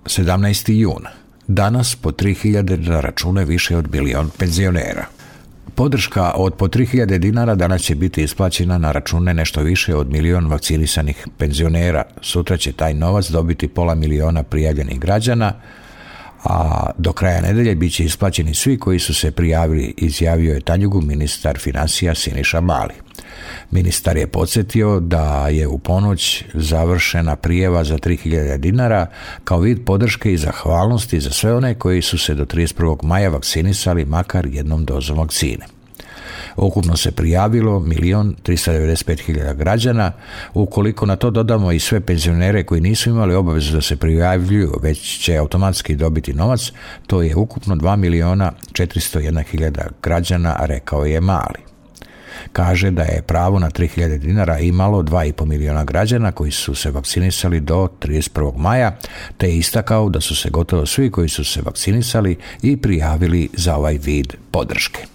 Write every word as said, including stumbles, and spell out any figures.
sedamnaesti jun. Danas po tri hiljade na račune više od milion penzionera. Podrška od po tri hiljade dinara danas će biti isplaćena na račune nešto više od milion vakcinisanih penzionera. Sutra će taj novac dobiti pola miliona prijavljenih građana, a do kraja nedelje bit će isplaćeni svi koji su se prijavili, izjavio je Tanjugu ministar financija Siniša Mali. Ministar je podsjetio da je u ponoć završena prijava za tri hiljade dinara kao vid podrške i zahvalnosti za sve one koji su se do trideset prvog maja vakcinisali makar jednom dozom vakcine. Ukupno se prijavilo milion tristo devedeset pet hiljada građana. Ukoliko na to dodamo i sve penzionere koji nisu imali obavezu da se prijavljuju, već će automatski dobiti novac, to je ukupno dva miliona četiristo jedna hiljada građana, rekao je Mali. Kaže da je pravo na tri hiljade dinara imalo dva i pol miliona građana koji su se vakcinisali do trideset prvog maja, te je istakao da su se gotovo svi koji su se vakcinisali i prijavili za ovaj vid podrške.